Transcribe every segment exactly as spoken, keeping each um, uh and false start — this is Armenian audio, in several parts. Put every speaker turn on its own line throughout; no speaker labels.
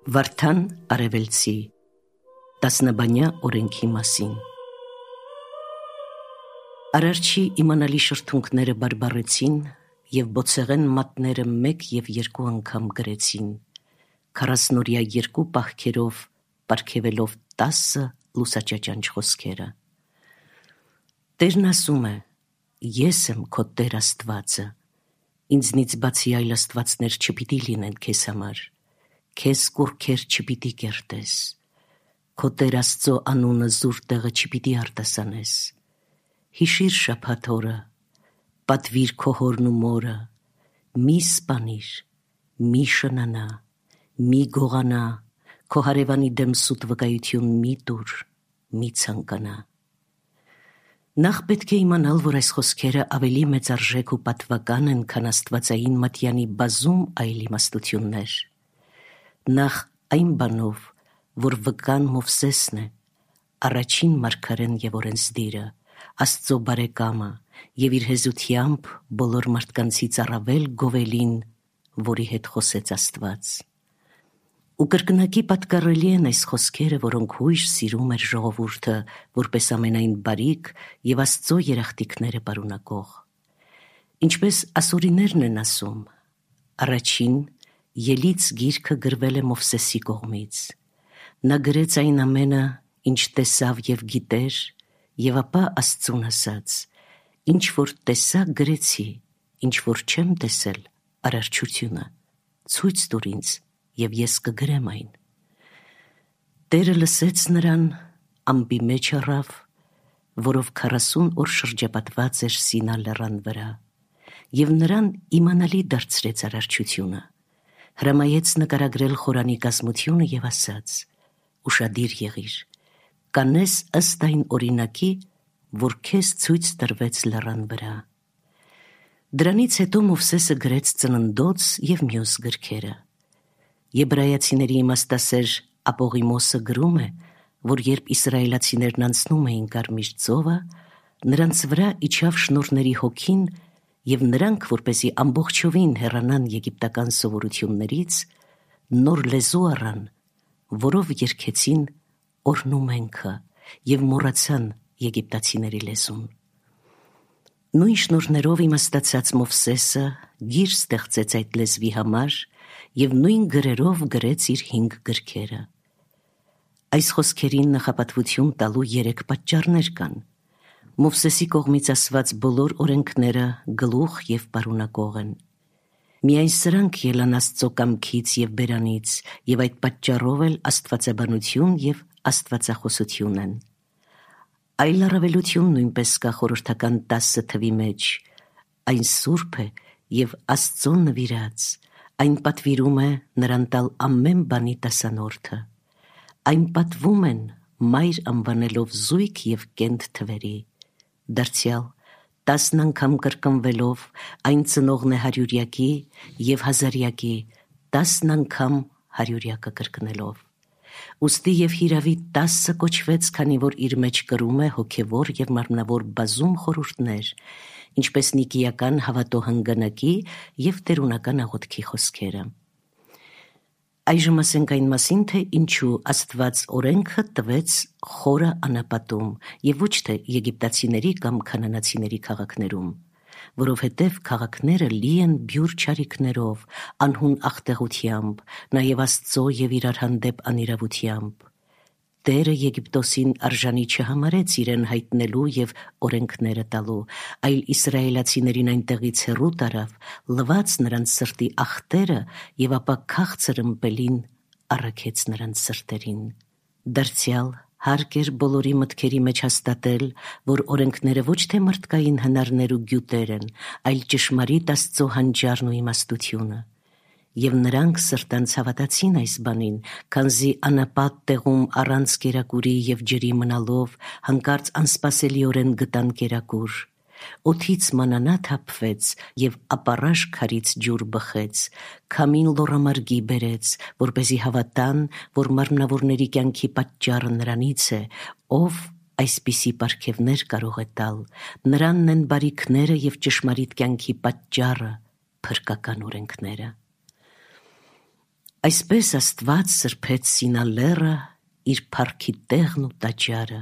Վարդան Արևելցի տասնաբանյա օրենքի մասին։ Արարչի իմանալի շրթունքները բարբառեցին և բոցեղեն մատները մեկ և երկու անգամ գրեցին, քառասնօրյա երկու պահքերով պարգևելով տասը լուսաճաճանչ խոսքերը։ Տերն ասում է, ես եմ քո Տեր Աստվածը, ինձնից բացի այլ աստվածներ չպիտի լինեն քեզ համար, քեզ կուռքեր չպիտի կերտես, քո Տեր Աստծո անունը զուր տեղը չպիտի արտասանես, հիշիր շաբաթ օրը, պատվիր քո հորն ու մորը, մի սպանիր, մի շնանա, մի գողանա, քո հարևանի դեմ սուտ վկայություն մի տուր, մի ցանկանա։ Նախ պետք է իմանալ, որ այս խոսքերը ավելի մեծարժեք ու պատվական են, քան աստվածային մատյանի բազում այլ իմաստություններ։ Նախ այն բանով, որ վկան Մովսեսն է, առաջին մարգարեն և օրենսդիրը, Աստծո բարեկամը և իր հեզությամբ բոլոր մարդկանցից առավել գովելին, որի հետ խոսեց Աստված։ Ու կրկնակի պատկառելի են այս խոսքերը, որոնք հույժ սիրում էր ժողովուրդը, որպես ամենայն բարիք և Աստծո երախտիկները պարունակող։ Ինչպես ասորիներն են ասում, առաջին ելից գիրքը գրվել է Մովսեսի կողմից։ Նա գրեց այն ամենը, ինչ տեսավ և գիտեր, և ապա Աստծուն ասաց. ինչ որ տեսա գրեցի, ինչ որ չեմ տեսել, արարչությունը, ցույց տուր ինձ, և ես կգրեմ այն։ Տերը լսեց նրան, ամպի մեջ առավ, որով քառասուն օր շրջապատված էր Սինա լեռան վրա, և նրան իմանալի դարձրեց արարչությունը, հրամայեց նկարագրել խորանի կազմությունը և ասաց. ուշադիր եղիր, կանես ըստ այն օրինակի, որ քեզ ցույց տրվեց լեռան վրա։ Դրանից հետո Մովսեսը գրեց Ծննդոց և մյուս գրքերը։ Եբրայացիների իմաստասեր Ապողիմոսը գրում է, որ երբ իսրայելացիներն անցնում էին Կարմիր ծովը, նրանց վրա իջավ շնորհների հոգին, և նրանք, որպեսզի ամբողջովին հեռանան եգիպտական սովորություններից, նոր լեզու առան, որով երգեցին օրհնումենքը և մոռացան եգիպտացիների լեզուն։ Նույն շնորհներով իմաստացած Մովսեսը գիր ստեղծեց այդ լեզվի համար և նույն գրերով գրեց իր հինգ գրքերը։ Այս խոսքերին նախապատվություն տալու երեք պատճառներ կան։ Մովսեսի կողմից ասված բոլոր օրենքները գլուխ և պարունակող են։ Միայն սրանք ելան Աստծո կամքից և բերանից, և այդ պատճառով էլ աստվածաբանություն և աստվածախոսություն են։ Այլ առավելություն նույնպես կա խորհրդական տասը թվի մեջ, այն սուրբ է և Աստծուն նվիրած, այն պատվիրում է նրան տալ ամեն բանի տասանորդը, այն պատվում են մայր անվանելով զույգ և կենթ թվերի, դարձյալ տասն անգամ կրկնվելով այն ծնողն է հարյուրյակի և հազարյակի, տասն անգամ հարյուրյակը կրկնելով։ Ուստի և հիրավի տասը կոչվեց, քանի որ իր մեջ կրում է հոգևոր և մարմնավոր բազում խորհուրդներ, ինչպես նիկիական հավատո հանգանակի և տերունական աղոթքի խոսքերը։ Այժմ ասենք այն մասին, թե ինչու Աստված օրենքը տվեց խորը անապատում և ոչ թե եգիպտացիների կամ քանանացիների քաղաքներում, որովհետև քաղաքները լի են բյուր չարիքներով, անհուն աղտեղությամբ, նաև Աստծո և իրար հանդեպ անիրավությամբ։ Տերը Եգիպտոսին արժանի չհամարեց իրեն հայտնելու և օրենքները տալու, այլ իսրայելացիներին այնտեղից հեռու տարավ, լվաց նրանց սրտի ախտերը և ապա քաղցր ըմպելին առաքեց նրանց սրտերին։ Դարձյալ հարկ էր բոլորի մտքերի մեջ հաստատել, որ օրենքները ոչ թե մարդկային հնարներ ու գյուտեր են, այլ ճշմարիտ Աստծո հանճարն ու իմաստությունը։ Եվ նրանք սրտանց հավատացին այս բանին, քանզի անապատ տեղում առանց կերակուրի և ջրի մնալով հանկարծ անսպասելիորեն գտան կերակուր։ Օդից մանանա թափվեց և ապառաշ քարից ջուր բխեց, քամին լոռամարգի բերեց, որպեսզի հավատան, որ մարմնավորների կյանքի պատճառը նրանից է, ով այսպիսի պարգևներ կարող է տալ, նրանն են բարիքները և ճշմարիտ կյանքի պատճառը, փրկական օրենքները։ Այսպես Աստված սրբեց Սինալերը իր փառքի տեղն ու տաճարը,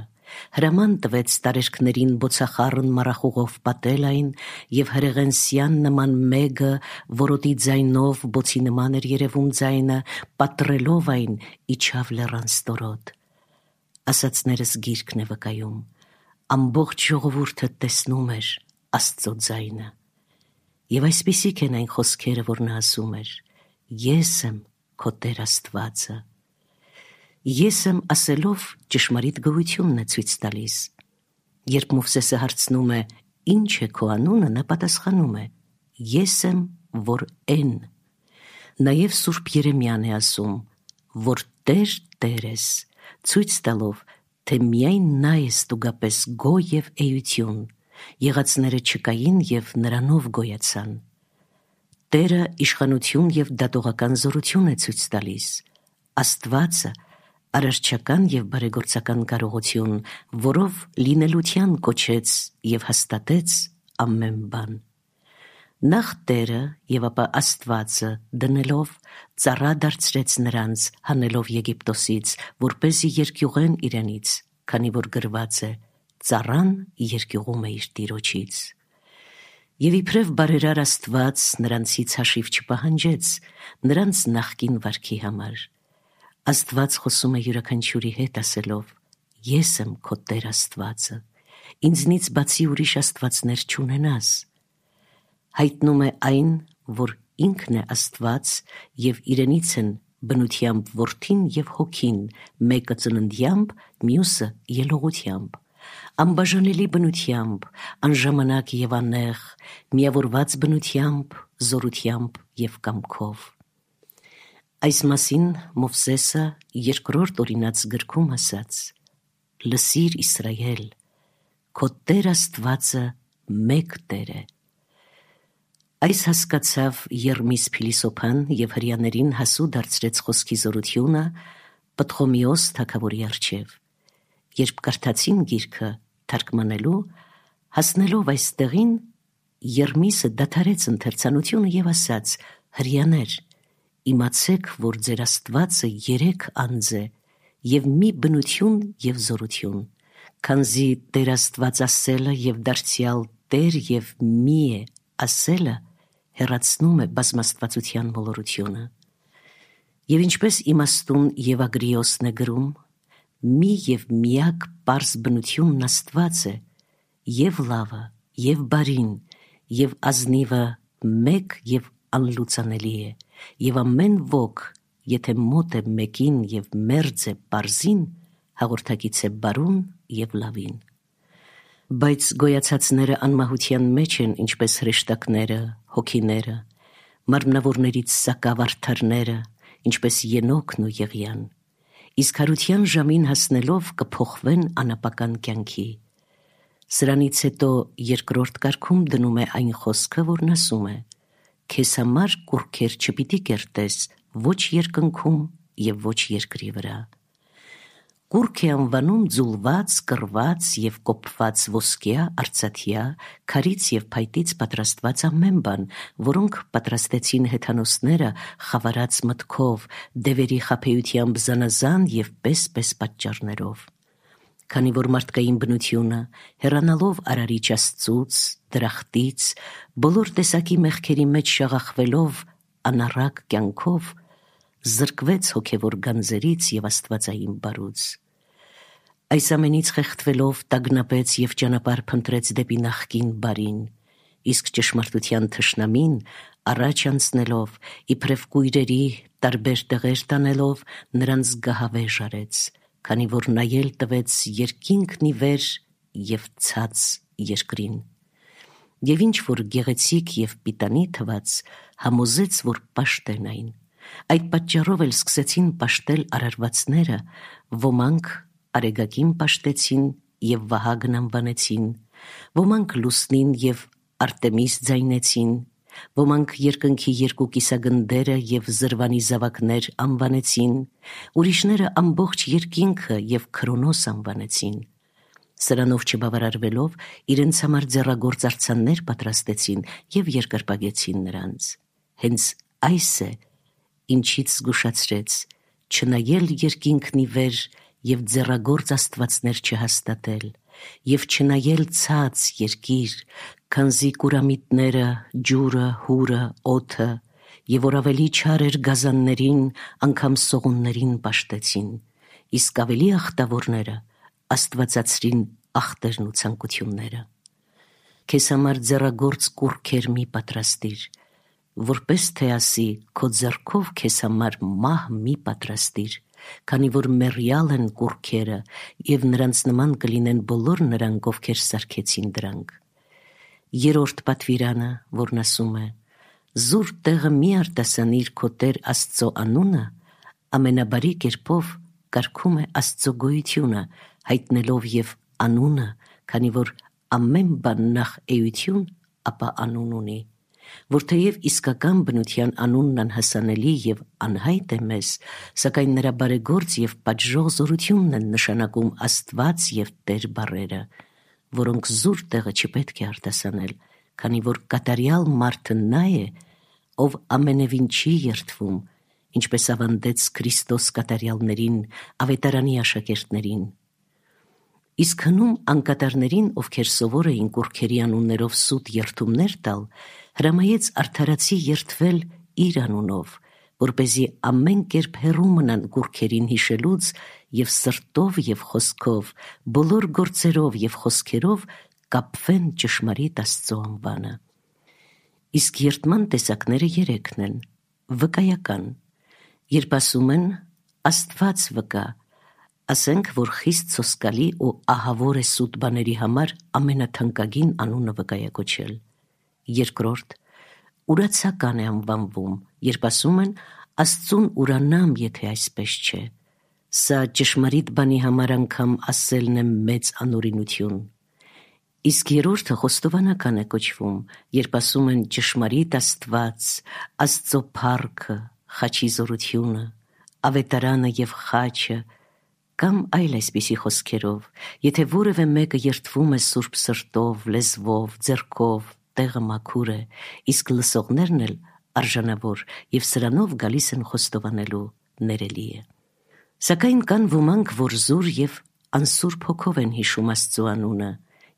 հրաման տվեց տարերքներին բոցախառն մառախուղով պատել այն, և հրեղենսյան նման մեկը, որոտի ձայնով բոցի նման էր երևում ձայնը, պատռելով այն իջավ լեռան ստորոտ։ Ասածներս գիրքն է վկայում, ամբողջ ժողովուրդը տեսնում էր Աստծո ձայնը։ Եվ այսպիսիք են այն խոսքերը, որ նա ասում էր. «Ես եմ քո Տեր Աստվածը»։ Ես եմ ասելով ճշմարիտ գոյությունն է ցույց տալիս։ Երբ Մովսեսը հարցնում է. «Ինչ է քո անունը», նա պատասխանում է. «Ես եմ, որ են»։ Նաև Սուրբ Երեմիան է ասում, որ Տեր Տեր ես, ցույց տալով, թե միայն նա է ստուգապես գոյ և էություն, եղածները չկային և նրանով գոյացան։ Տերը իշխանություն և դատողական զորություն է ցույց տալիս։ Աստվածը արարչական և բարեգործական կարողություն, որով լինելության կոչեց և հաստատեց ամեն բան։ Նախ Տերը և ապա Աստվածը դնելով ծառա դարձրեց նրանց, հանելով Եգիպտոսից, որպեսզի երկյուղեն իրենից, քանի որ գրված է. «Ծառան երկյուղում է իր տիրոջից»։ Եվ իբրև բարերար Աստված նրանցից հաշիվ չպահանջեց նրանց նախկին վարքի համար։ Աստված խոսում է յուրաքանչյուրի հետ ասելով. «Ես եմ քո Տեր Աստվածը, ինձնից բացի ուրիշ աստվածներ չունենաս»։ Հայտնում է այն, որ ինքն է Աստված և իրենից են բնությամբ Որդին և Հոգին, մեկը ծննդյամբ, մյուսը ելողությամբ, անբաժանելի բնությամբ, անժամանակ և աննեղ, միավորված բնությամբ, զորությամբ և կամքով։ Այս մասին Մովսեսը երկրորդ օրինաց գրքում ասաց. «Լսիր, Իսրայել, քո Տեր Աստվածը մեկ Տեր է»։ Այս հասկացավ Եռմիս փիլիսոփան և հրեաներին հասու դարձրեց խոսքի զորությունը Պտղոմեոս թագավորի առջև։ Երբ կարդացին գիրքը թարգմանելու, հասնելով այս տեղին, Եռմիսը դադարեց ընթերցանությունը և ասաց. «Հրեաներ, իմացեք, որ ձեր Աստվածը երեք անձ է և մի բնություն և զորություն, քանզի Տեր Աստված ասելը և դարձյալ Տեր և մի է ասելը հեռացնում է բազմաստվածության մոլորությունը»։ Եվ ինչպես իմաստուն Եվագրիոսն է գրում, մի և միակ պարզ բնությունն Աստված է, և լավը, և բարին, և ազնիվը մեկ և անլուծանելի է, և ամեն ոք, եթե մոտ է մեկին և մերձ է պարզին, հաղորդակից է բարուն և լավին։ Բայց գոյացածները անմահության մեջ են, ինչպես հրեշտակները, հոգիները, մարմնավորներից սակավ արդարները, ինչպես Ենոքն ու Եղիան, իսկ հարության ժամին հասնելով կփոխվեն անապական կյանքի։ Սրանից հետո երկրորդ կարգում դնում է այն խոսքը, որն ասում է. «Քեզ համար կուռքեր չպիտի կերտես ոչ երկնքում և ոչ երկրի վրա»։ Կուռք է անվանում ձուլված, կռված և կոփված ոսկյա, արծաթյա, քարից և փայտից պատրաստված ամեն բան, որոնք պատրաստեցին հեթանոսները խավարած մտքով, դևերի խաբեությամբ զանազան և պես-պես պատճառներով։ Քանի որ մարդկային բնությունը, հեռանալով Արարիչ Աստծուց, դրախտից, բոլոր տեսակի մեղքերի մեջ շաղախվելով անառակ կյանքով, զրկվեց հոգևոր գանձերից և աստվածային բարուց։ Այս ամենից խեղդվելով տագնապեց և ճանապարհ փնտրեց դեպի նախկին բարին, իսկ ճշմարտության թշնամին առաջ անցնելով, իբրև կույրերի տարբեր տեղեր տանելով, նրանց գահավեժ արեց, քանի որ նայել տվեց երկինքն ի վեր և ցած երկրին։ Եվ ինչ որ գեղեցիկ և պիտանի թվաց, համոզեց, որ պաշտեն այն։ Այդ պատճառով էլ սկսեցին պաշտել արարվածները, ոմանք Արեգակին պաշտեցին և Վահագն անվանեցին, ոմանք Լուսնին և Արտեմիս ձայնեցին, ոմանք երկնքի երկու կիսագնդերը և Զրվանի զավակներ անվանեցին, ուրիշները ամբողջ երկինքը և Քրոնոս անվանեցին։ Սրանով չբավարարվելով, իրենց համար ձեռագործ արձաններ պատրաստեցին և երկրպագեցին նրանց։ Հենց այս է ինչից զգուշացրեց, չնայել երկինքն ի վեր և ձեռագործ աստվածներ չհաստատել, և չնայել ցած երկիր, քանզի կուրամիտները, ջուրը, հուրը, օդը, և որ ավելի չար էր գազաններին, անգամ սողուններին պաշտեցին, իսկ ավելի ախտավորները աստվածացրին ախտերն ու ցանկությունները։ Քեզ համար ձեռագործ կուռքեր մի պատրաստիր, որպես թե ասի, քո ձեռքով քեզ համար մահ մի պատրաստիր, քանի որ մեռյալ են կուռքերը, և նրանց նման կլինեն բոլոր նրանք, ովքեր սարքեցին դրանք։ Երրորդ պատվիրանը, որն ասում է. «Զուր տեղը մի արտասանիր քո Տեր Աստծո անունը», ամենաբարի կերպով կարգում է Աստծո գոյությունը, հայտնելով և անունը, քանի որ ամեն բան նախ էություն, ապա անուն ունի, որ թեև իսկական բնության անունն անհասանելի և անհայտ է մեզ, սակայն նրա բարեգործ և պատժող զորությունն են նշանակում Աստված և Տեր բառերը, որոնք զուր տեղը չպետք է արտասանել, քանի որ կատարյալ մարդը նա է, ով ամենևին չի երդվում, ինչպես ավանդեց Քրիստոս կատարյալներին, ավետարանի աշակերտներին։ Իսկ հնում անկատարներին, ովքեր սովոր էին կուռքերի անուններով սուտ երդումներ տալ, հրամայեց արդարացի երդվել իր անունով, որպեսզի ամեն կերպ հեռու մնան կուռքերին հիշելուց և սրտով և խոսքով, բոլոր գործերով և խոսքերով կապվեն ճշմարիտ Աստծո անվանը։ Իսկ երդման տեսակները երեքն են. վկայական, երբ ասում են Աստված վկա, ասենք, որ խիստ սոսկալի ու ահավոր է սուտ բաների համար ամենաթանկագին անունը վկայակոչել։ Երկրորդ, ուրացական է անվանվում, երբ ասում են Աստծուն ուրանամ, եթե այսպես չէ, սա ճշմարիտ բանի համար անգամ ասելն է մեծ անօրինություն։ Իսկ երրորդը խոստովանական է կոչվում, երբ ասում են ճշմարիտ Աստված, Աստծո փառքը, խաչի զորությունը, ավետարանը և խաչը, կամ այլ այսպիսի խոսքերով, եթե որևէ մեկը երդվում է սուրբ սրտով, լեզվով, ձեռքով, տեղը մաքուր է, իսկ լսողներն էլ արժանավոր և սրանով գալիս են խոստովանելու, ներելի է։ Սակայն կան ոմանք, որ զուր և անսուրբ հոգով են հիշում Աստծո անունը,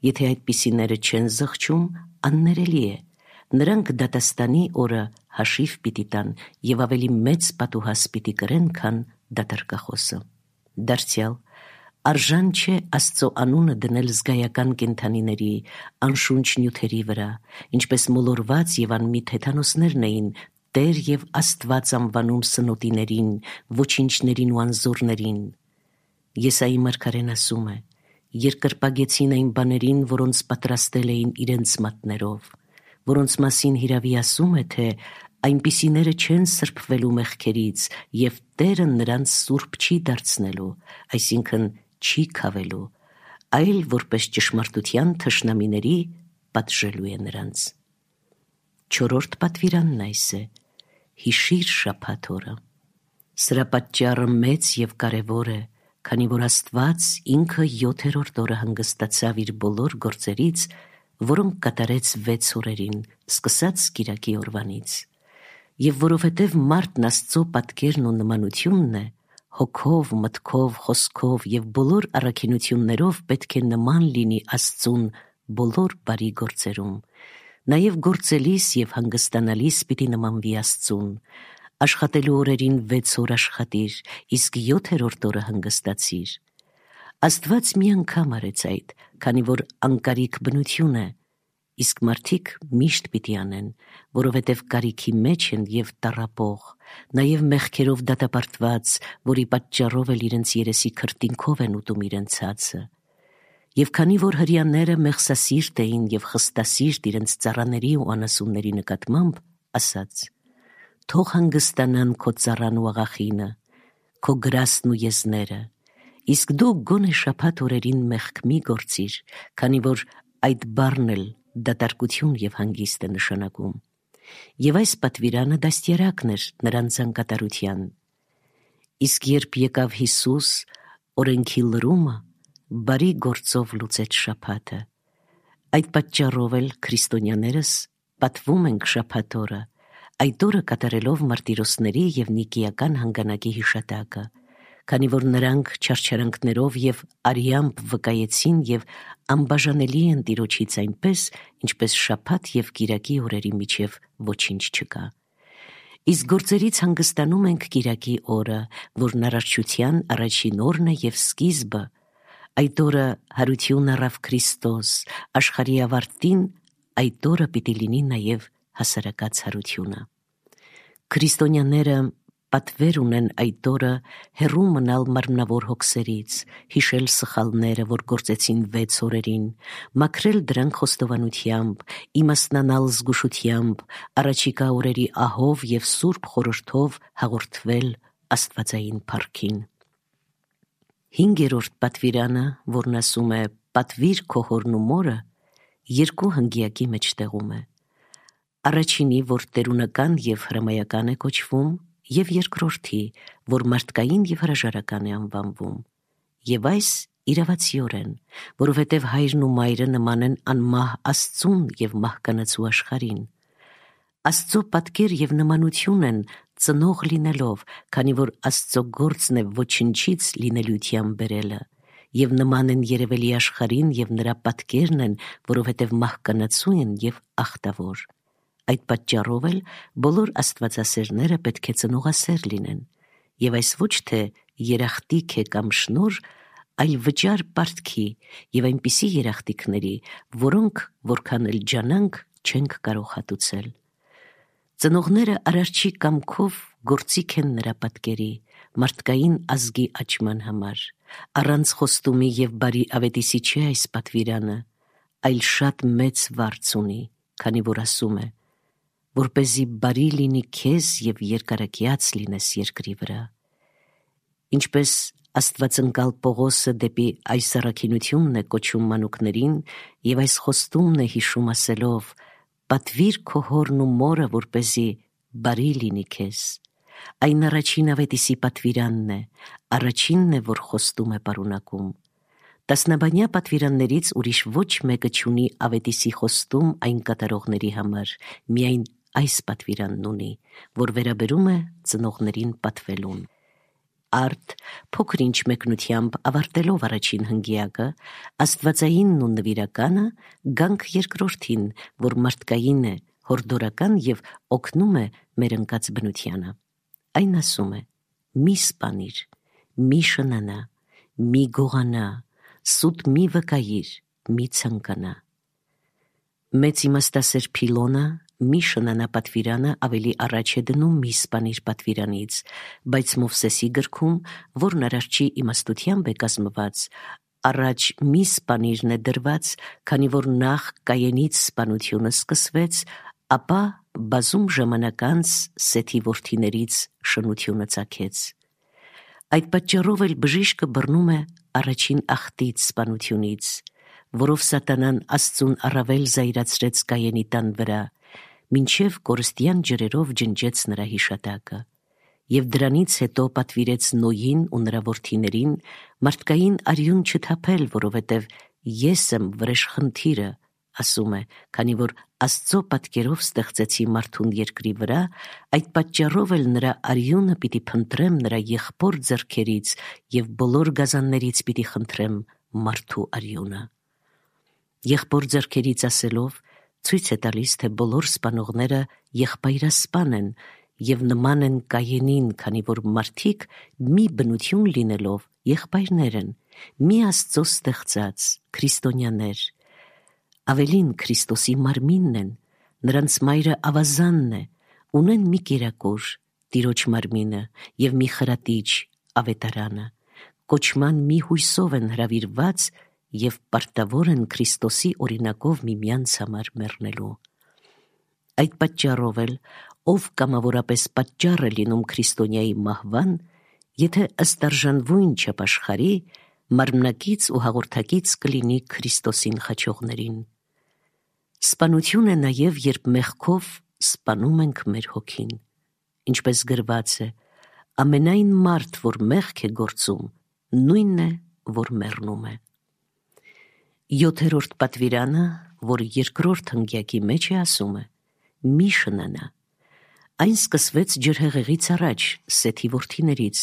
եթե այդպիսիները չեն զղջում, աններելի է, նրանք դատաստանի օրը հաշիվ պիտի տան և ավելի մեծ պատուհաս պիտի կրեն, քան դատարկախոսը։ Դարձյալ, արժան չէ Աստծո անունը դնել զգայական կենդանիների, անշունչ նյութերի վրա, ինչպես մոլորված և անմիտ հեթանոսներն էին Տեր և Աստված անվանում սնոտիներին, ոչինչներին ու անզորներին։ Եսայի մարգարեն ասում է. «Երկրպագեցին այն բաներին, որոնց պատրաստել էին իրենց մատներով, որոնց մասին հիրավի ասում է, թե այնպիսիները չեն սրբվելու մեղքերից, և Տերը նրանց սուրբ չի դարձնելու, այսինքն չի քավելու, այլ որպես ճշմարտության թշնամիների պատժելու է նրանց»։ Չորրորդ պատվիրանն այս է. հիշիր շաբաթ օրը։ Սրա պատճառը մեծ և կարևոր է, քանի որ Աստված ինքը յոթերորդ օրը հանգստացավ իր բոլոր գործերից, որոնք կատարեց վեց օրերին, սկսած կիրակի օրվանից։ Եվ որովհետև մարդն Աստծո պատկերն ու նմանությունն է, հոգով, մտքով, խոսքով և բոլոր առաքինություններով պետք է նման լինի Աստծուն բոլոր բարի գործերում, նաև գործելիս և հանգստանալիս պիտի նմանվի Աստծուն։ Աշխատելու օրերին վեց օր աշխատիր, իսկ յոթերորդ օրը հանգստացիր։ Աստված մի անգամ արեց այդ, քանի որ անկարիք բնություն է, իսկ մարդիկ միշտ պիտի անեն, որովհետև կարիքի մեջ են և տառապող, նաև մեղքերով դատապարտված, որի պատճառով էլ իրենց երեսի քրտինքով են ուտում իրենց հացը։ Եվ քանի որ հրեաները մեղսասիրտ էին և խստասիրտ իրենց ծառաների ու անասունների նկատմամբ, ասաց. «Թող հանգստանան քո ծառան ու աղախինը, քո գրաստն ու եզները, իսկ դու գոնե շաբաթ օրերին մեղք մի գործիր, քանի որ այդ բառն էլ դատարկություն և հանգիստ է նշանակում»։ Եվ այս պատվիրանը դաստիարակն էր նրանց անկատարության։ Իսկ երբ եկավ Հիսուս, օրենքի լրումը բարի գործով լուծեց շաբաթը։ Այդ պատճառով էլ քրիստոնյաներս պատվում ենք շաբաթ օրը, Այդ օրը կատարելով մարտիրոսների և նիկիական հանգանակի հիշատակը, քանի որ նրանք չարչարանքներով և արյամբ վկայեցին և անբաժանելի են Տիրոջից այնպես, ինչպես շաբաթ և կիրակի օրերի միջև ոչինչ չկա։ Իսկ գործերից հանգստանում ենք կիրակի օրը, որն արարչության առաջին օրն է և սկիզբը։ Այդ օրը հարություն առավ Քրիստոս, աշխարհի ավարտին այդ օրը պիտի լինի նաև հասարակած հարությունը։ Քրիստոնյաները պատվեր ունեն այդ օրը հեռու մնալ մարմնավոր հոգսերից, հիշել սխալները, որ գործեցին վեց օրերին, մաքրել դրանք խոստովանությամբ, իմաստնանալ զգուշությամբ, առաջիկա օրերի ահով և սուրբ խորհրդով հաղորդվել աստվածային փառքին։ Հինգերորդ պատվիրանը, որն ասում է «Պատվիր քո հորն ու մորը», երկու հնգյակի մեջտեղում է։ Առաջինի, որ տերունական և հրամայական է կոչվում, և երկրորդի, որ մարդկային և հրաժարական է անվանվում, և այս իրավացիորեն, որովհետև հայրն ու մայրը նման են անմահ Աստծուն և մահկանացու աշխարհին։ Աստծո պատկեր և նմանություն են ծնող լինելով, քանի որ Աստծո գործն է ոչնչից լինելիության բերելը, և նման են երևելի աշխարհին և նրա պատկերն են, որովհետև մահկանացու են և ախտավոր։ Այդ պատճառով էլ բոլոր աստվածասերները պետք է ծնողասեր լինեն, և այս ոչ թե երախտիկ է կամ շնորհ, այլ վճար պարտքի և այնպիսի երախտիկների, որոնք որքան էլ ջանանք չենք կարող հատուցել։ Ծնողները արարչի կամքով գործիք են նրա պատկերի, մարդկային ազգի աճման համար։ Առանց խոստումի և բարի ավետիսի չէ այս պատվիրանը, այլ շատ մեծ վարձ ունի, քանի որ ասում է. որպեսզի բարի լինի քեզ և երկարակյաց լինես երկրի վրա։ Ինչպես Աստվածընկալ Պողոսը դեպի այս առաքինությունն է կոչում մանուկներին և այս խոստումն է հիշում ասելով. «Պատվիր քո հորն ու մորը, որպեսզի բարի լինի քեզ»։ Այն առաջին ավետիսի պատվիրանն է, առաջինն է, որ խոստում է պարունակում։ Տասնաբանյա պատվիրաններից ուրիշ ոչ մեկը չունի ավետիսի խոստում այն կատարողների համար, միայն այս պատվիրանն ունի, որ վերաբերում է ծնողներին պատվելուն։ Արդ փոքր-ինչ մեկնությամբ ավարտելով առաջին հնգյակը, աստվածայինն ու նվիրականը, գանք երկրորդին, որ մարդկային է, հորդորական և օգնում է մեր ընկած բնությանը։ Այն ասում է. «Մի սպանիր, մի շնանա, մի գողանա, սուտ մի վկայիր, մի ցանկանա»։ Մեծ իմաստասեր Փիլոնը մի շնանա պատվիրանը ավելի առաջ է դնում մի սպանիր պատվիրանից, բայց Մովսեսի գրքում, որն արարչի իմաստությամբ է կազմված, առաջ մի սպանիրն է դրված, քանի որ նախ Կայենից սպանությունը սկսվեց, ապա բազում ժամանակ անց Սեթի որդիներից շնությունը ծագեց։ Այդ պատճառով էլ բժիշկը բռնում է առաջին աղտից սպանությունից, որով սատանան Աստծուն առավել զայրացրեց Կայենի տան վրա, մինչև կորստյան ջրերով ջնջեց նրա հիշատակը, և դրանից հետո պատվիրեց Նոյին ու նրա որդիներին մարդկային արյուն չթափել, որովհետև ես եմ վրեժխնդիրը, ասում է, քանի որ Աստծո պատկերով ստեղծեցի մարդուն երկրի վրա, այդ պատճառով էլ նրա արյունը պիտի փնտրեմ նրա եղբոր ձեռքերից և բոլոր գազաններից պիտի խնդրեմ մարդու արյունը։ Եղբոր ձեռքերից ասելով ցույց է տալիս, թե բոլոր սպանողները եղբայրասպան են և նման են Կայենին, քանի որ մարդիկ մի բնություն լինելով եղբայրներ են, մի Աստծո ստեղծած քրիստոնյաներ, ավելին Քրիստոսի մարմինն են, նրանց մայրը ավազանն է, ունեն մի կերակուր, Տիրոջ մարմինը, և մի խրատիչ, ավետարանը, կոչման մի հույսով են հրավիրված և պարտավոր են Քրիստոսի օրինակով միմյանց համար մեռնելու։ Այդ պատճառով էլ, ով կամավորապես պատճառ է լինում քրիստոնյայի մահվան, եթե ըստ արժանվույն չապաշխարի, մարմնակից ու հաղորդակից կլինի Քրիստոսին խաչողներին։ Սպանություն է նաև, երբ մեղքով սպանում ենք մեր հոգին, ինչպես գրված է. ամենայն մարդ, որ մեղք է գործում, նույնն է, որ մեռնում է։ Յոթերորդ պատվիրանը, որ երկրորդ հնգյակի մեջ է, ասում է. մի շնանա։ Այն սկսվեց ջրհեղեղից առաջ Սեթի որդիներից,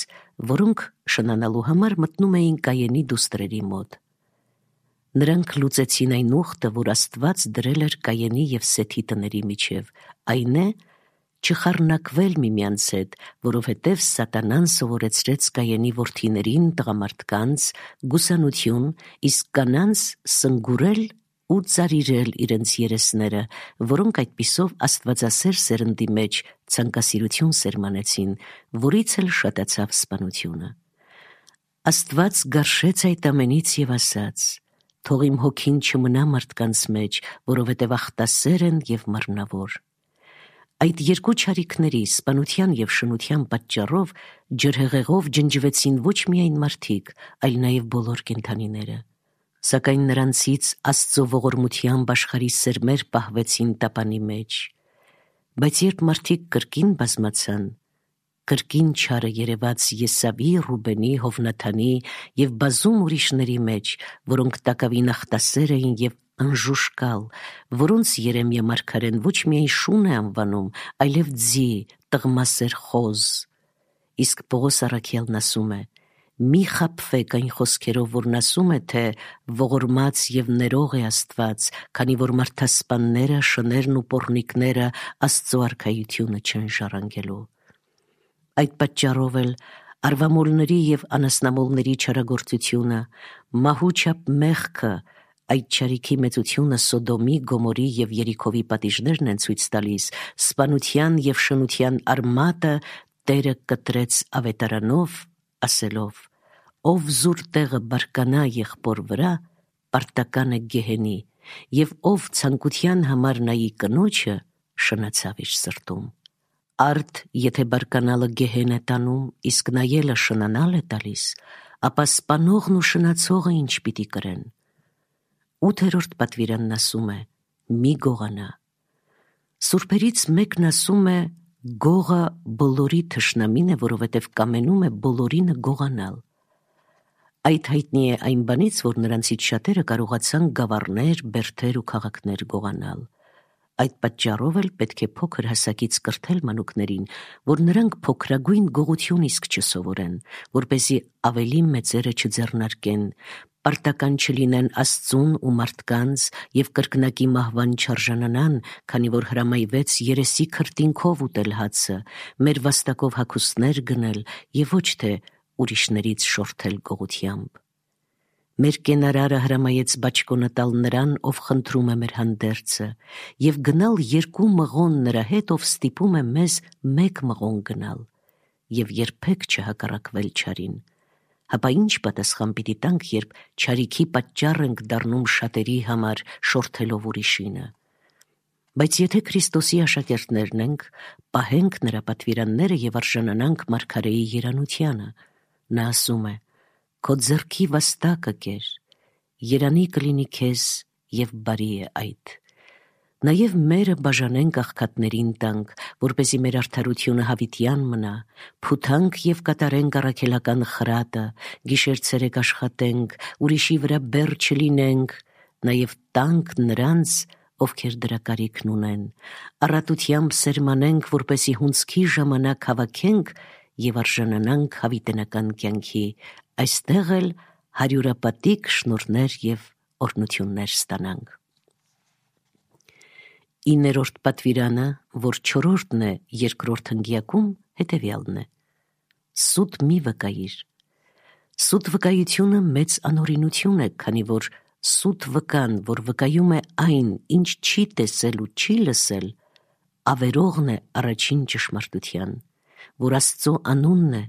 որոնք շնանալու համար մտնում էին Կայենի դուստրերի մոտ։ Նրանք լուծեցին այն ուխտը, որ Աստված դրել էր Կայենի և Սեթի տների միջև, այն է չխառնակվել միմյանց հետ, որովհետև Սատանան սովորեցրեց Կայենի որդիներին տղամարդկանց գուսանություն, իսկ կանանց սնգուրել ու ծարիրել իրենց երեսները, որոնք այդպիսով աստվածասեր սերնդի մեջ ցանկասիրություն սերմանեցին, որից էլ շատացավ սպանությունը։ Աստված գարշեց այդ ամենից և ասաց. «Թող իմ հոգին չմնա մարդկանց մեջ, որովհետև ախտասեր են և մառնավոր»։ Այդ երկու չարիքների՝ սպանության և շնության պատճառով ջրհեղեղով ջնջվեցին ոչ միայն մարդիկ, այլ նաև բոլոր կենդանիները։ Սակայն նրանցից Աստծո ողորմությամբ աշխարհի սերմեր պահվեցին տապանի մեջ։ Բայց երբ մարդիկ կրկին բազմացան, կրկին չարը երևաց Եսավի, Ռուբենի, Հովնաթանի և բազում ուրիշների մեջ, որոնք տակավին ախտասեր էին և անժուշկալ, որոնց Երեմիա մարգարեն ոչ միայն շուն է անվանում, այլև ձի, տղմասեր խոզ։ Իսկ Պողոս առաքյալն ասում է. «Մի խաբվեք այն խոսքերով, որն ասում է, թե ողորմած և ներող է Աստված, քանի որ մարդասպանները, շներն ու պոռնիկները Աստծո արքայությունը չեն ժառանգելու»։ Այդ պատճառով էլ արվամոլների և անասնամոլների չարագործությունը, մահու չափ մեղքը, այդ չարիքի մեծությունը Սոդոմի, Գոմորի և Երիքովի պատիժներն են ցույց տալիս, սպանության և շնության արմատը Տերը կտրեց ավետարանով, ասելով. «Ով զուր տեղը բարկանա եղբոր վրա, պարտական է գեհենի, և ով ցանկության համար նայի կնոջը, շնացավ իր սրտում»։ Արդ եթե բարկանալը գեհեն է տանում, իսկ նայելը շնանալ է տալիս, ապա սպանողն ու շնացողը ինչ պիտի կրեն։ Ութերորդ պատվիրանն ասում է. «Մի գողանա»։ Սուրբերից մեկն ասում է. «Գողը բոլորի թշնամին է, որովհետև կամենում է բոլորինը գողանալ»։ Այդ հայտնի է այն բանից, որ նրանցից շատերը կարողացան գավառներ, բերդեր ու քաղաքներ գողանալ։ Այդ պատճառով էլ պետք է փոքր հասակից կրթել մանուկներին, որ նրանք փոքրագույն գողություն իսկ չսովորեն, որպեսզի ավելի մեծերը չձեռնարկեն, պարտական չլինեն Աստծուն ու մարդկանց և կրկնակի մահվան չարժանանան, քանի որ հրամայվեց երեսի քրտինքով ուտել հացը, մեր վաստակով հագուստներ գնել և ոչ թե ուրիշներից շորթել գողությամբ։ Մեր կենարարը հրամայեց բաճկոնը տալ նրան, ով խնդրում է մեր հանդերձը, և գնալ երկու մղոն նրա հետ, ով ստիպում է մեզ մեկ մղոն գնալ, և երբեք չհակառակվել չարին։ Հապա ինչ պատասխան պիտի տանք, երբ չարիքի պատճառ ենք դառնում շատերի համար, շորթելով ուրիշինը։ Բայց եթե Քրիստոսի աշակերտներն ենք, պահենք նրա պատվիրանները և արժանանանք մարգարեի երանությանը։ Նա ասում է. «Քո ձեռքի վաստակը կեր, երանի կլինի քեզ և բարի է այդ»։ Նաև մերը բաժանենք աղքատներին տանք, որպեսզի մեր արդարությունը հավիտյան մնա, փութանք և կատարենք առաքելական խրատը, գիշեր-ցերեկ աշխատենք, ուրիշի վրա բեռ չլինենք, նաև տանք նրանց, ովքեր դրա կարիքն ունեն, առատությամբ սերմանենք, որպեսզի հունձքի ժամանակ հավաքենք և արժանանանք հավիտենական կյանքի, այստեղ էլ հարյուրապատիկ շնորհներ և օրհնություններ ստանանք։ Իններորդ պատվիրանը, որ չորրորդն է երկրորդ հնգյակում, հետևյալն է. «Սուտ մի վկայիր»։ Սուտ վկայությունը մեծ անօրինություն է, քանի որ սուտ վկան, որ վկայում է այն, ինչ չի տեսել ու չի լսել, ավերողն է առաջին ճշմարտության, որ Աստծո անունն է,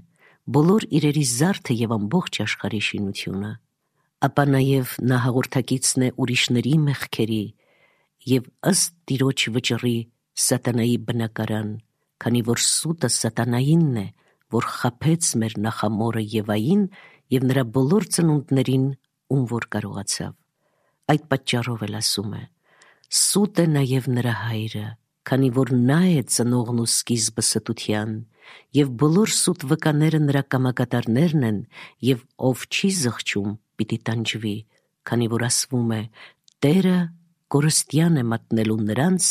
բոլոր իրերի զարդը և ամբողջ աշխարհի շինությունը։ Ապա նաև նա հաղորդակիցն է ուրիշների մեղքերի և ըստ Տիրոջ վճռի սատանայի բնակարան, քանի որ սուտը սատանայինն է, որ խաբեց մեր նախամորը Եվային և նրա բոլոր ծնունդներին, ում որ կարողացավ։ Այդ պատճառով էլ ասում է. «Սուտ է նաև նրա հայրը, քանի որ նա է ծնողն ու սկիզբը ստության, և բոլոր սուտ վկաները նրա կամակատարներն են, և ով չի զղջում, պիտի տանջվի, քանի որ ասվում է. Տերը կորստյան է մատնելու նրանց,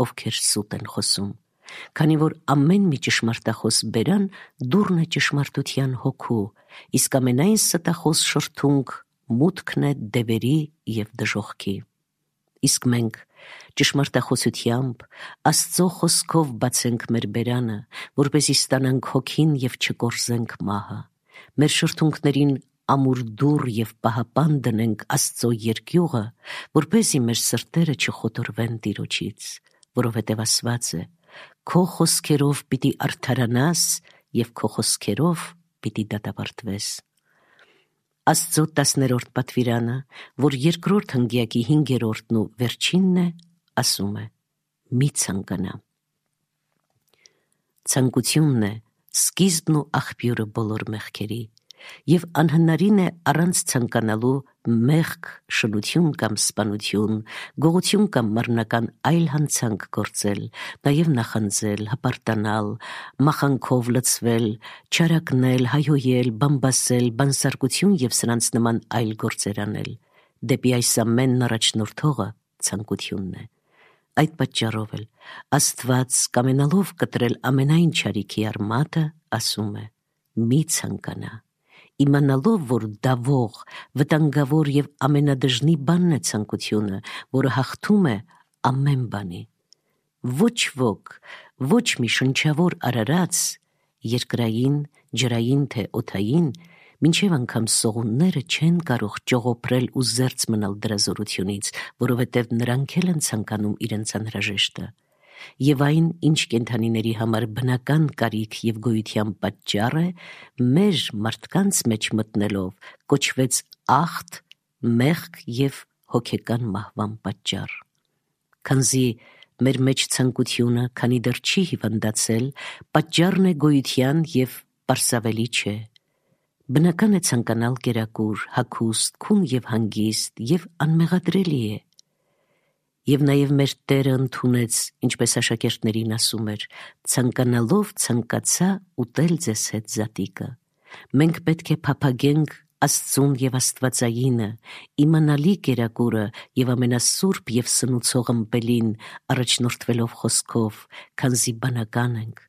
ովքեր սուտ են խոսում»։ Քանի որ ամեն մի ճշմարտախոս բերան դուռն է ճշմարտության հոգու, իսկ ամենայն ստախոս շրթունք մուտքն է դևերի և դժոխքի։ Իսկ մենք ճշմարտախոսությամբ Աստծո խոսքով բացենք մեր բերանը, որպեսզի ստանանք հոգին և չկորզենք մահը, մեր շրթունքներին ամուր դուռ և պահապան դնենք Աստծո երկյուղը, որպեսզի մեր սրտերը չխոտորվեն Տիրոջից, որովհետև ասված է. «Քո խոսքերով պիտի արդարանաս և քո խոսքերով պիտի դատապարտվես»։ Աստծո տասներորդ պատվիրանը, որ երկրորդ հնգյակի հինգերորդն ու վերջինն է, ասում է. մի ցանկանա։ Ցանկությունն է սկիզբն ու աղբյուրը բոլոր մեղքերի, և անհնարին է առանց ցանկանալու մեղք, շնություն կամ սպանություն, գողություն կամ մեռնական այլ հանցանք գործել, նաև նախանձել, հպարտանալ, մախանքով լցվել, չարակնել, հայհոյել, բամբասել, բանսարկություն և սրանց նման այլ գործեր անել։ Դեպի այս ամենն առաջնորդողը ցանկությունն է։ Այդ պատճառով էլ Աստված, կամենալով կտրել ամենայն չարիքի արմատը, ասում է. մի ցանկանա, իմանալով, որ դավող, վտանգավոր և ամենադժնի բանն է ցանկությունը, որը հաղթում է ամեն բանի։ Ոչ ոք, ոչ մի շնչավոր արարած, երկրային, ջրային թե օդային, մինչև անգամ սողունները չեն կարող ճողոպրել ու զերծ մնալ դրա զորությունից, որովհետև նրանք էլ են ցանկանում իրենց անհրաժեշտը։ Եվ այն, ինչ կենդանիների համար բնական կարիք և գոյության պատճառ է, մեր մարդկանց մեջ մտնելով կոչվեց ախտ, մեղք և հոգեկան մահվան պատճառ։ Քանզի մեր մեջ ցանկությունը, քանի դեռ չի հիվանդացել, պատճառն է գոյության և պարսավելի չէ։ Բնական է ցանկանալ կերակուր, հագուստ, քուն և հանգիստ և անմեղադրելի է։ Եվ նաև մեր Տերը ընդունեց, ինչպես աշակերտներին ասում էր. «Ցանկանալով ցանկացա ուտել ձեզ հետ զատիկը»։ Մենք պետք է փափագենք Աստծուն և Աստվածայինը, իմանալի կերակուրը և ամենասուրբ և սնուցող ըմպելին, առաջնորդվելով խոսքով, քանզի բանական ենք,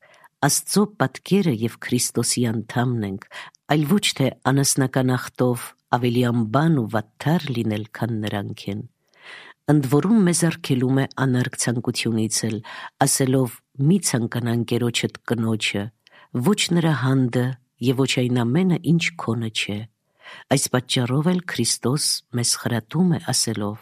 Աստծո պատկերը և Քրիստոսի անդամն ենք, այլ ոչ թե անասնական ախտով ավելի անբան ու վատթար լինել, քան նրանք են։ Ընդ որում մեզ արգելում է անարգ ցանկությունից էլ, ասելով. «Մի ցանկանա ընկերոջդ կնոջը, ոչ նրա հանդը և ոչ այն ամենը, ինչ քոնը չէ»։ Այս պատճառով էլ Քրիստոս մեզ խրատում է, ասելով.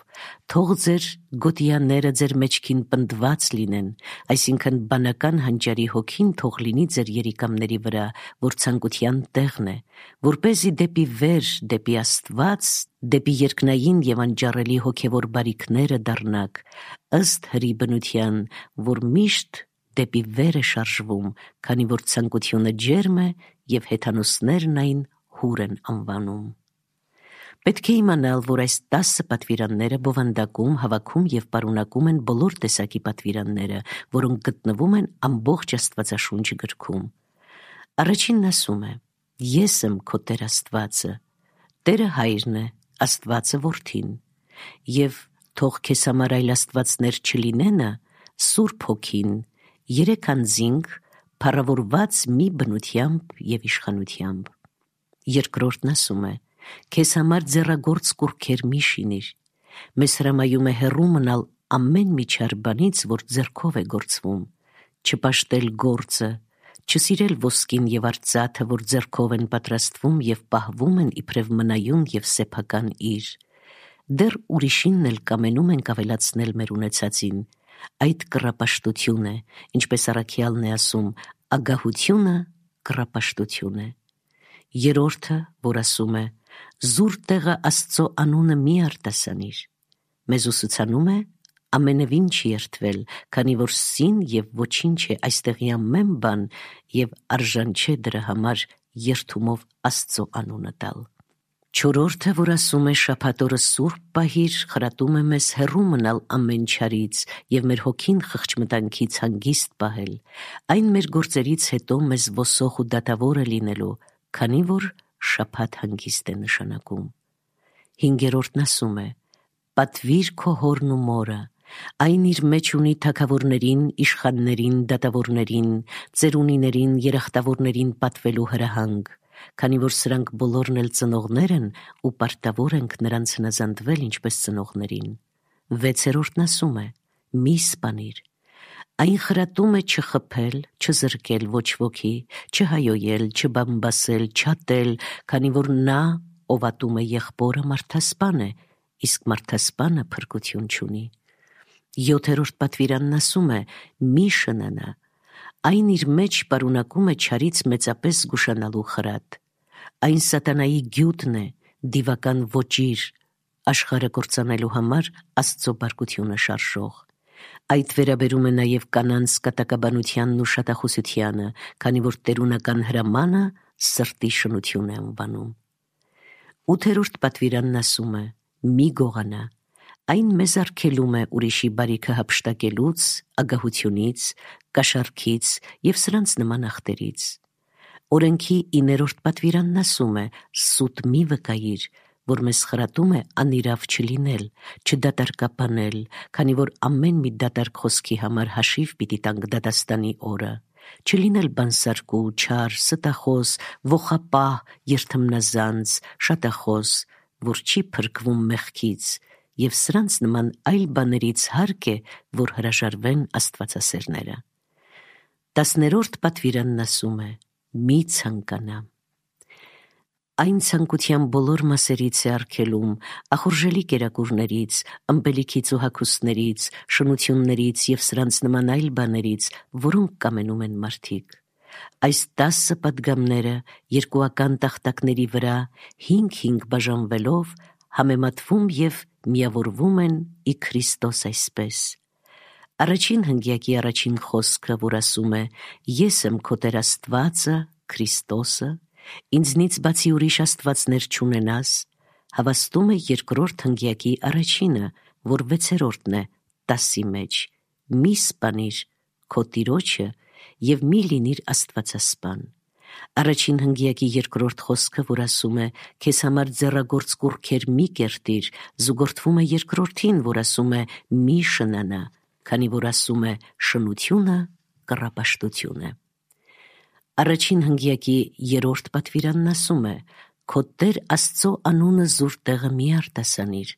«Թող ձեր գոտիաները ձեր մեջքին պնդված լինեն», այսինքն բանական հանճարի հոգին թող լինի ձեր երիկամների վրա, որ ցանկության տեղն է, որպեսզի դեպի վեր, դեպի Աստված, դեպի երկնային և անճարելի հոգևոր բարիքները դառնաք, ըստ հրի բնության, որ միշտ դեպի վեր է շարժվում, քանի որ ցանկությունը ջերմ է և հեթանոսներն այն հուր են անվանում։ Պետք է իմանալ, որ այս տասը պատվիրանները բովանդակում, հավաքում և պարունակում են բոլոր տեսակի պատվիրանները, որոնք գտնվում են ամբողջ Աստվածաշունչ գրքում։ Առաջինն ասում է. «Ես եմ քո Տեր Աստվածը»։ Տերը Հայրն է, Աստվածը Որդին։ Եվ «Թող քեզ համար այլ աստվածներ չլինենը» Սուրբ Հոգին, երեք անձինք, փառավորված մի բնությամբ և իշխանությամբ։ Երկրորդն ասում է. «Քեզ համար ձեռագործ կուռքեր մի շինիր»։ Մեզ հրամայում է հեռու մնալ ամեն մի չար բանից, որ ձեռքով է գործվում, չպաշտել գործը, չսիրել ոսկին և արծաթը, որ ձեռքով են պատրաստվում և պահվում են իբրև մնայուն և սեփական իր։ Դեռ ուրիշինն էլ կամենում ենք ավելացնել մեր ունեցածին։ Այդ կռապաշտություն է, ինչպես առաքյալն է ասում. «Ագահությունը կռապաշտություն է»։ Երրորդը, որ ասում է. «Զուր տեղը Աստծո անունը մի արտասանիր», մեզ ուսուցանում է ամենևին չի երդվել, քանի որ սին և ոչինչ է այստեղի ամեն բան և արժան չէ դրա համար երդումով Աստծո անունը տալ։ Չորրորդը, որ ասում է շաբաթ օրը սուրբ պահիր, խրատում է մեզ հեռու մնալ ամեն չարից և մեր հոգին խղճմտանքից հանգիստ պահել, այն մեր գործերից հետո մեզ ոսող ու դատավոր է լինելու, քանի որ շաբաթ հանգիստ է նշանակում։ Հինգերորդն ասում է. «Պատվիր քո հորն ու մորը», Այն իր մեջ ունի թագավորներին, իշխաններին, դատավորներին, ծերունիներին, երախտավորներին պատվելու հրահանգ, քանի որ սրանք բոլորն էլ ծնողներ են ու պարտավոր ենք նրանց հնազանդվել ինչպես ծնողներին։ Վեցերորդն ասում է. մի սպանիր։ Այն խրատում է չխփել, չզրկել ոչ ոքի, չհայոյել, չբամբասել, չատել, քանի որ նա, ով ատում է եղբորը, մարդասպան է, իսկ մարդասպանը փրկություն չունի։ Յոթերորդ պատվիրանն ասում է. մի շնանա։ Այն իր մեջ պարունակում է չարից մեծապես զգուշանալու խրատ։ Այն սատանայի գյուտն է, դիվական ոճիր, աշխարհը կործանելու համար Աստծո բարկությունը շարժող։ Այդ վերաբերում է նաև կանանց կատակաբանությանն ու շատախոսությանը, քանի որ տերունական հրամանը սրտի շնություն է անվանում։ Ութերորդ պատվիրանն ասում է. մի գողանա։ Այն մեզ արգելում է ուրիշի բարիքը հափշտակելուց, ագահությունից, կաշառքից և սրանց նման ախտերից։ Օրենքի իներորդ պատվիրանն ասում է. սուտ մի վկայիր, որ մեզ խրատում է անիրավ չլինել, չդատարկապանել, քանի որ ամեն մի դատարկ խոսքի համար հաշիվ պիտի տանք դատաստանի օրը, չլինել բանսարկու, չար, ստախոս, ոխապահ, երդմնազանց, շատախոս, որ չի փրկվում մեղքից, և սրանց նման այլ բաներից հարկ է, որ հրաժարվեն աստվածասերները։ Տասներորդ պատվիրանն ասում է. մի ցանկանա։ Այն ցանկության բոլոր մասերից է արգելում, ախորժելի կերակուրներից, ըմպելիքից ու հագուստներից, շնություններից և սրանց նման այլ բաներից, որոնք կամենում են մարդիկ։ Այս տասը պատգամները երկուական տախտակների վրա հինգ-հինգ բաժանվելով համեմատվում և միավորվում են ի Քրիստոս այսպես։ Առաջին հնգյակի առաջին խոսքը, որ ասում է. ես եմ քո Տեր Աստվածը, Քրիստոսը, ինձնից բացի ուրիշ աստվածներ չունենաս, հավաստում է երկրորդ հնգյակի առաջինը, որ վեցերորդն է, տասի մեջ. մի սպանիր քո տիրոջը և մի լինիր աստվածասպան։ Առաջին հնգյակի երկրորդ խոսքը, որ ասում է. քեզ համար ձեռագործ կուռքեր մի կերտիր, զուգորդվում է երկրորդին, որ ասում է. մի շնանա, քանի որ ասում է. շնությունը կռապաշտություն է։ Առաջին հնգյակի երրորդ պատվիրանն ասում է. քո Տեր Աստծո անունը զուր տեղը մի արտասանիր։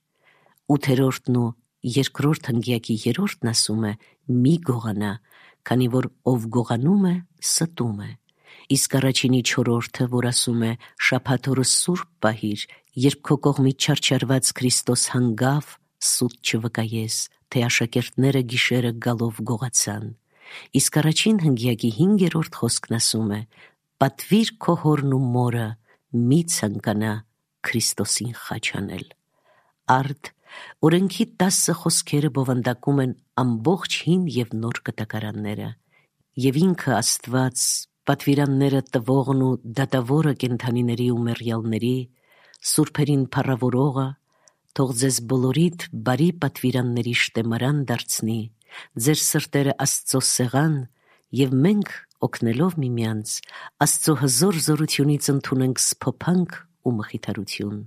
Ութերորդն ու երկրորդ հնգյակի երրորդն ասում է. մի գողանա, քանի որ ով գողանում է, ստում է։ Իսկ առաջինի չորրորդը, որ ասում է. շաբաթ օրը սուրբ պահիր, երբ քո կողմից չարչարված Քրիստոս հանգավ, սուտ չվկայես, թե աշակերտները գիշերը գալով գողացան։ Իսկ առաջին հնգյակի հինգերորդ խոսքն ասում է. պատվիր քո հորն ու մորը, մի ցանկանա Քրիստոսին խաչ անել։ Արդ օրենքի տասը խոսքերը բովանդակում են ամբողջ հին և նոր կտակարանները, և ինքը Աստված, պատվիրանները տվողն ու դատավորը կենդանիների ու մեռյալների, սուրբերին փառավորողը, թող ձեզ բոլորիդ բարի պատվիրանների շտեմարան դարձնի, ձեր սրտերը Աստծո սեղան, և մենք, օգնելով միմյանց, Աստծո հզոր զորությունից ընդունենք սփոփանք ու մխիթարություն։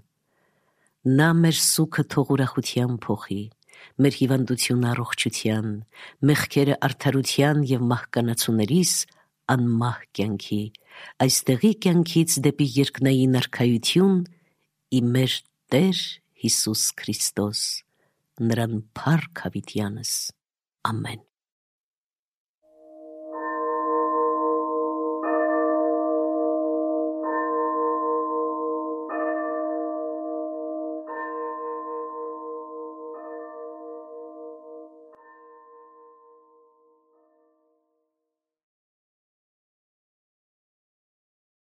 Նա մեր սուգը թող ուրախության փոխի, մեր հիվանդությունը առողջության, մեղքերը արդարության և մահկանացուներիս անմահ կյանքի, այստեղի կյանքից դեպի երկնային արքայություն, ի մեր Տեր Հիսուս Քրիստոս, նրան փառք հավիտյանս։ Ամեն։